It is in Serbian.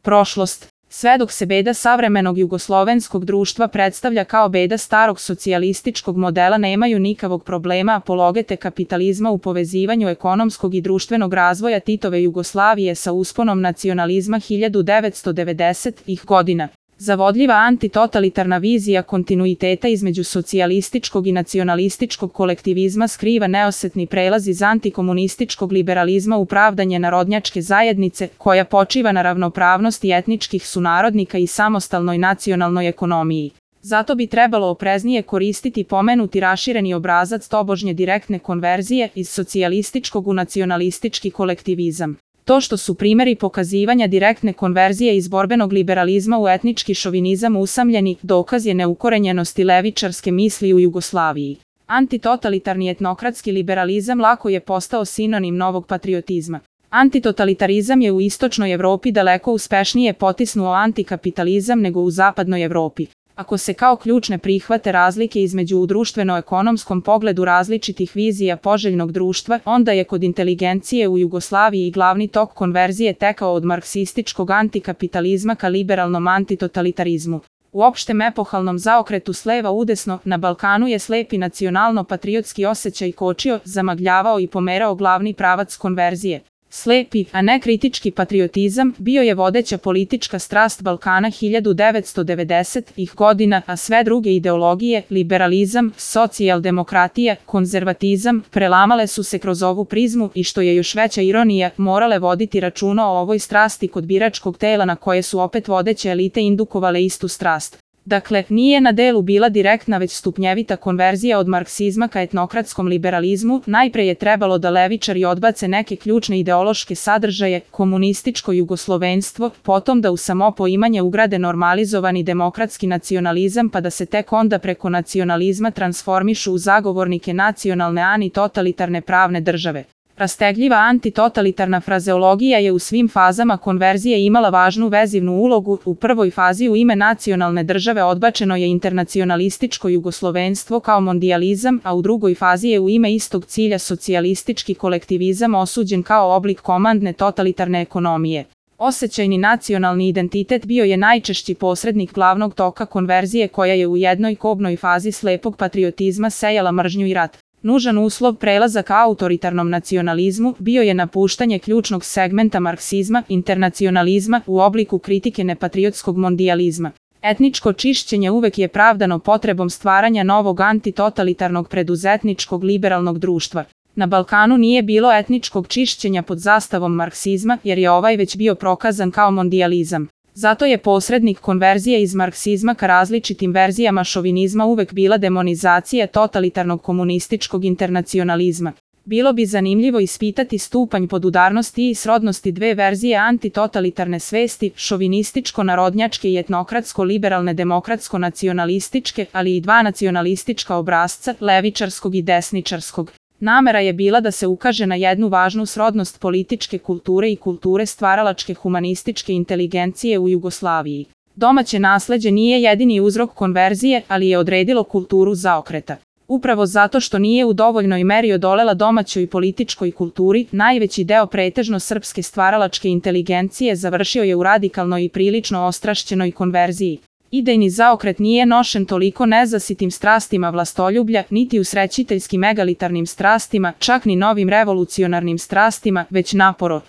prošlost, sve dok se beda savremenog jugoslovenskog društva predstavlja kao beda starog socijalističkog modela, nemaju nikakvog problema apologete kapitalizma u povezivanju ekonomskog i društvenog razvoja Titove Jugoslavije sa usponom nacionalizma 1990-ih godina. Zavodljiva antitotalitarna vizija kontinuiteta između socijalističkog i nacionalističkog kolektivizma skriva neosetni prelaz iz antikomunističkog liberalizma u pravdanje narodnjačke zajednice, koja počiva na ravnopravnosti etničkih sunarodnika i samostalnoj nacionalnoj ekonomiji. Zato bi trebalo opreznije koristiti pomenuti rašireni obrazac tobožnje direktne konverzije iz socijalističkog u nacionalistički kolektivizam. To što su primjeri pokazivanja direktne konverzije iz borbenog liberalizma u etnički šovinizam usamljeni, dokaz je neukorenjenosti levičarske misli u Jugoslaviji. Antitotalitarni etnokratski liberalizam lako je postao sinonim novog patriotizma. Antitotalitarizam je u istočnoj Evropi daleko uspešnije potisnuo antikapitalizam nego u zapadnoj Evropi. Ako se kao ključne prihvate razlike između u društveno-ekonomskom pogledu različitih vizija poželjnog društva, onda je kod inteligencije u Jugoslaviji glavni tok konverzije tekao od marksističkog antikapitalizma ka liberalnom antitotalitarizmu. U opštem epohalnom zaokretu s leva udesno, na Balkanu je slepi nacionalno-patriotski osjećaj kočio, zamagljavao i pomerao glavni pravac konverzije. Slepi, a ne kritički patriotizam bio je vodeća politička strast Balkana 1990-ih godina, a sve druge ideologije, liberalizam, socijaldemokratija, konzervatizam, prelamale su se kroz ovu prizmu i, što je još veća ironija, morale voditi računa o ovoj strasti kod biračkog tela na koje su opet vodeće elite indukovale istu strast. Dakle, nije na delu bila direktna već stupnjevita konverzija od marksizma ka etnokratskom liberalizmu. Najpre je trebalo da levičari odbace neke ključne ideološke sadržaje, komunističko jugoslovenstvo, potom da u samo poimanje ugrade normalizovani demokratski nacionalizam, pa da se tek onda preko nacionalizma transformišu u zagovornike nacionalne antitotalitarne pravne države. Rastegljiva antitotalitarna frazeologija je u svim fazama konverzije imala važnu vezivnu ulogu. U prvoj fazi u ime nacionalne države odbačeno je internacionalističko jugoslovenstvo kao mondijalizam, a u drugoj fazi je u ime istog cilja socijalistički kolektivizam osuđen kao oblik komandne totalitarne ekonomije. Osjećajni nacionalni identitet bio je najčešći posrednik glavnog toka konverzije, koja je u jednoj kobnoj fazi slepog patriotizma sejala mržnju i rat. Nužan uslov prelaza ka autoritarnom nacionalizmu bio je napuštanje ključnog segmenta marksizma, internacionalizma, u obliku kritike nepatriotskog mondijalizma. Etničko čišćenje uvek je pravdano potrebom stvaranja novog antitotalitarnog preduzetničkog liberalnog društva. Na Balkanu nije bilo etničkog čišćenja pod zastavom marksizma, jer je ovaj već bio prokazan kao mondijalizam. Zato je posrednik konverzije iz marksizma ka različitim verzijama šovinizma uvek bila demonizacija totalitarnog komunističkog internacionalizma. Bilo bi zanimljivo ispitati stupanj podudarnosti i srodnosti dve verzije antitotalitarne svesti, šovinističko-narodnjačke i etnokratsko-liberalne demokratsko-nacionalističke, ali i dva nacionalistička obrazca, levičarskog i desničarskog. Namera je bila da se ukaže na jednu važnu srodnost političke kulture i kulture stvaralačke humanističke inteligencije u Jugoslaviji. Domaće nasleđe nije jedini uzrok konverzije, ali je odredilo kulturu zaokreta. Upravo zato što nije u dovoljnoj meri odolela domaćoj političkoj kulturi, najveći deo pretežno srpske stvaralačke inteligencije završio je u radikalnoj i prilično ostrašćenoj konverziji. Idejni zaokret nije nošen toliko nezasitim strastima vlastoljublja, niti usrećiteljskim egalitarnim strastima, čak ni novim revolucionarnim strastima, već naporo